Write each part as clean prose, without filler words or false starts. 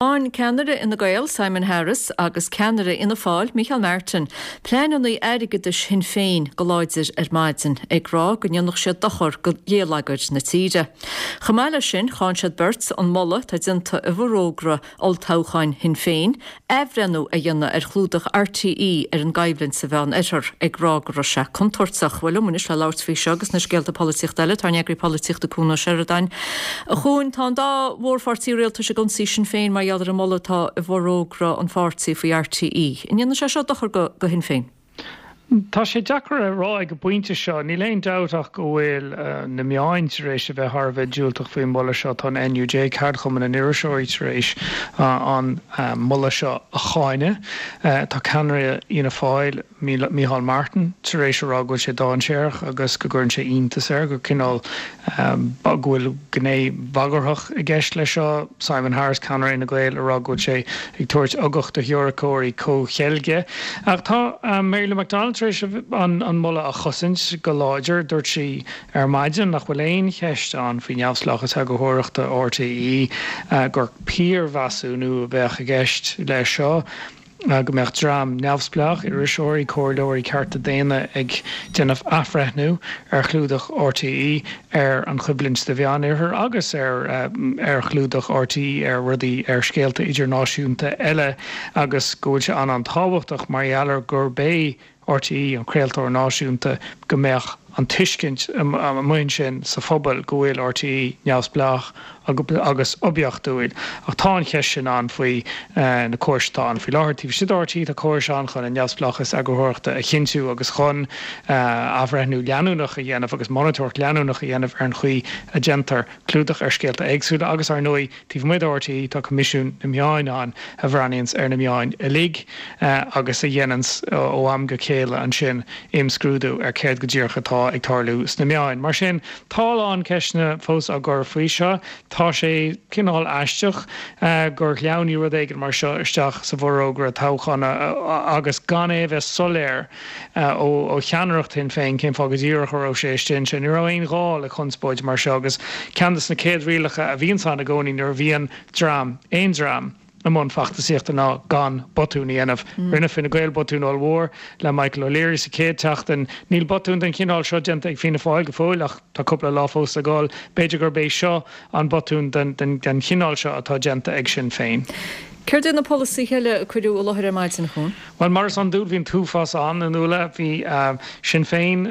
Cháin ceannaire Fhine Gael, Simon Harris, agus ceannaire Fhianna Fáil, Micheál Martin, pleananna airgeadais Shinn Féin go láidir ar maidin, ag rá go ndéanfadh siad dochar do ghéilleagar na tíre. Chomh maith leis sin, cháin siad beirt an moladh atá déanta i bhforógra olltoghcháin Shinn Féin, athbhreithniú a dhéanamh ar chlúdach RTÉ ar an gcoimhlint sa Mheán-Oirthear, ag rá go raibh sé contúirteach. Bhuel, liom anois le labhairt faoi seo agus na scéalta polaitíochta eile, tá ár n-eagraí polaitíochta Cuan Ó Seireadáin. A Chuain, tá an dá mhórpháirtí rialtais ag ionsaí Sinn Féin mar gheall ar an moladh atá i bhforógra an pháirtí faoi RTÉ. An ndéanfaidh sé seo dochar do Shinn Féin? Tá sé deacair a rá ag an bpointe seo. Níl aon dabht ach go bhfuil na meáin tar éis a bheith thar a bheith diúltach faoin moladh seo. Tá an NUJ, Ceardchumann na nIriseoirí, tar éis an moladh seo a cháineadh. Tá ceannaire Fhianna Fáil, Micheál Martin, tar éis a rá go bhfuil sé dainséarach agus go gcuireann sé iontas air gur cineál go bhfuil gné bhagarthach i gceist leis seo. Simon Harris, ceannaire Fhine Gael, ag rá go bhfuil sé ag tabhairt ugach do theoiriceoirí comhcheilge. Ach tá Mary Lou McDonald tar éis an moladh a chosaint go láidir. Dúirt sí ar maidin nach bhfuil aon cheist ann faoi neamhspleáchas eagarthóireachta RTÉ, gur piarmheasúnú a bheadh i gceist leis seo. go mbeadh dream neamhspleách, iriseoirí, comhairleoirí cearta daonna ag déanamh athbhreithniú ar chlúdach RTÉ ar an choimhlint sa Mheánoirthear agus ar ar chlúdach RTÉ ar rudaí, ar scéalta idirnáisiúnta eile agus go bhfuil sé an-an-tábhachtach mar gheall ar gurb é RTÉ, an craoltóir náisiúnta, go mbeadh an tuiscint amuigh ansin sa phobal go bhfuil RTÉ neamhspleách agus oibiachtúil. Ach tá an cheist sin ann faoi na córais atá ann faoi láthair. Taobh istigh de RTÉ tá córais ann chun an neamhspleáchas eagarthóireachta a chinntiú agus chun athbhreithniú leanúnach a dhéanamh agus monatóireacht leanúnach a dhéanamh ar an chaoi a déantar clúdach ar scéalta éagsúla agus, ar ndóigh, Taobh amuigh de RTÉ, tá Coimisiún na Meáin ann a bhreathnaíonns ar na meáin uilig agus a dhéananns ó am go chéile ansin imscrúdú ar céard go díreach atá ag tarlú sna meáin. Mar sin, tá a lán ceisteanna fós á gcur faoi seo. Tá sé cineál aisteach gur shleamhnaigh rud éigin mar seo isteach sa bhforógra toghcháin agus gan é a bheith soiléir ó cheannaireacht Shinn Féin cén fáth go díreach a raibh sé istigh ansin. Ní raibh aon ghá le conspóid mar seo agus ceann de na céad rialacha a bhíonns ann i gcónaí nuair a bhíonn dream, aon dream, i mbun feachtasaíochta ná gan botún a dhéanamh. Rinne Fine Gael botún ollmhór le Michael O'Leary sa chéad tseachtain. Níl botún den chineál seo déanta ag Fianna Fáil go fóill ach tá cúpla lá fós le dhul. B'fhéidir gurb é seo an botún den chineál seo atá déanta ag Sinn Féin. Céard iad na polasaithe eile a cuireadh i láthair ar maidin, a Chuain? Bhuel, mar is iondúil, bhí an t-uafás ann, a Nuala. Bhí Sinn Féin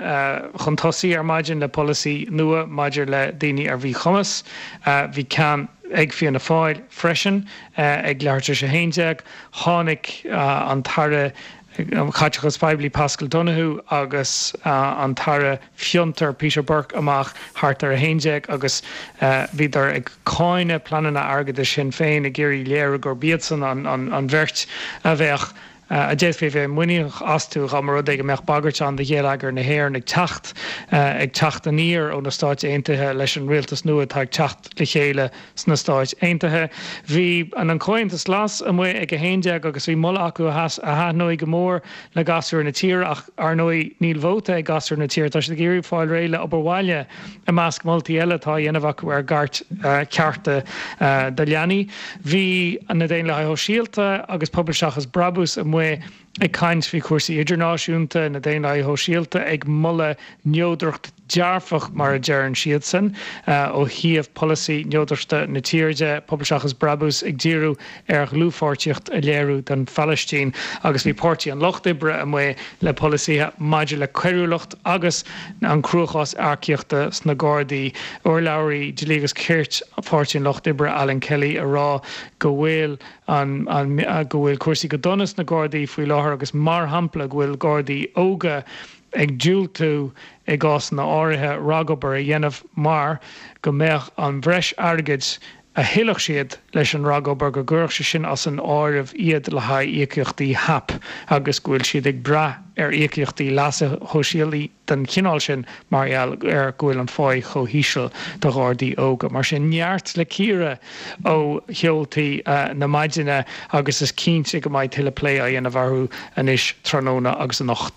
chun tosaigh ar maidin le polasaí nua maidir le daoine ar mhíchumas. Bhí ceann ag Fianna Fáil freisin ag leathuair tar éis 11. Tháinig an tAire Caiteachais Phoiblí Paschal Donohoe agus an tAire Fiontar Peter Burke amach thart ar 11 agus bhíodar ag cáineadh pleananna airgeadais Shinn Féin, ag iarraidh léiriú gurb iadsan an bheirt a bheadh, a d'fhéadfaí a bheith muiníneach astu dá mba rud é go mbeadh bagairt ann do gheilleagar na hÉireann ag teacht, ag teacht aniar ó na Stáit Aontaithe leis an rialtas nua atá ag teacht le chéile sna Stáit Aontaithe. Bhí an Comhaontas Glas amuigh ag 11 agus bhí moladh acu a thaitneoidh go mór le gasúir na tíre ach, Ar ndóigh, níl vóta ag gasúir na tíre. Tá siad ag iarraidh fáil réidh le obair bhaile i measc moltaí eile atá á dhéanamh acu ar gcairt cearta do leanaí. Bhí na Daonlathaithe Shóisialta agus Pobal Seachas Brabús amuigh ag caint faoi chúrsaí idirnáisiúnta, na Daonlathaithe Shóisialta ag moladh neodracht dearfach, mar a deireann siadsan, ó thaobh polasaí neodrachta na tíre de, Pobal Seachas Brabús ag díriú ar dhlúthpháirtíocht a léiriú don Phalaistín agus bhí Páirtí an Lucht Oibre amuigh le polasaithe maidir le coiriúlacht agus an cruachás earcaíochta sna Gardaí. Urlabhraí Dlí agus Cirt Pháirtí an Lucht Oibre, Alan Kelly, ag rá go bhfuil an go bhfuil cúrsaí go dona sna Gardaí faoi láthair agus mar shampla go bhfuil Gardaí óga ag diúltú i gcásanna áirithe ragobair a dhéanamh mar go mbeadh an bhreis airgid a thuillfeadh siad leis an ragobair, go gcuirfeadh sé sin as an áireamh iad le haghaidh íocaíochtaí HAP agus go bhfuil siad ag brath ar íocaíochtaí leasa shóisialaigh den chineál sin mar gheall ar go bhfuil an pháí chomh híseal do Ghardaí óga. Mar sin, neart le cíoradh ó sheoltaí na maidine agus is cinnte go mbeidh tuilleadh plé á dhéanamh orthu anois tráthnóna agus anocht.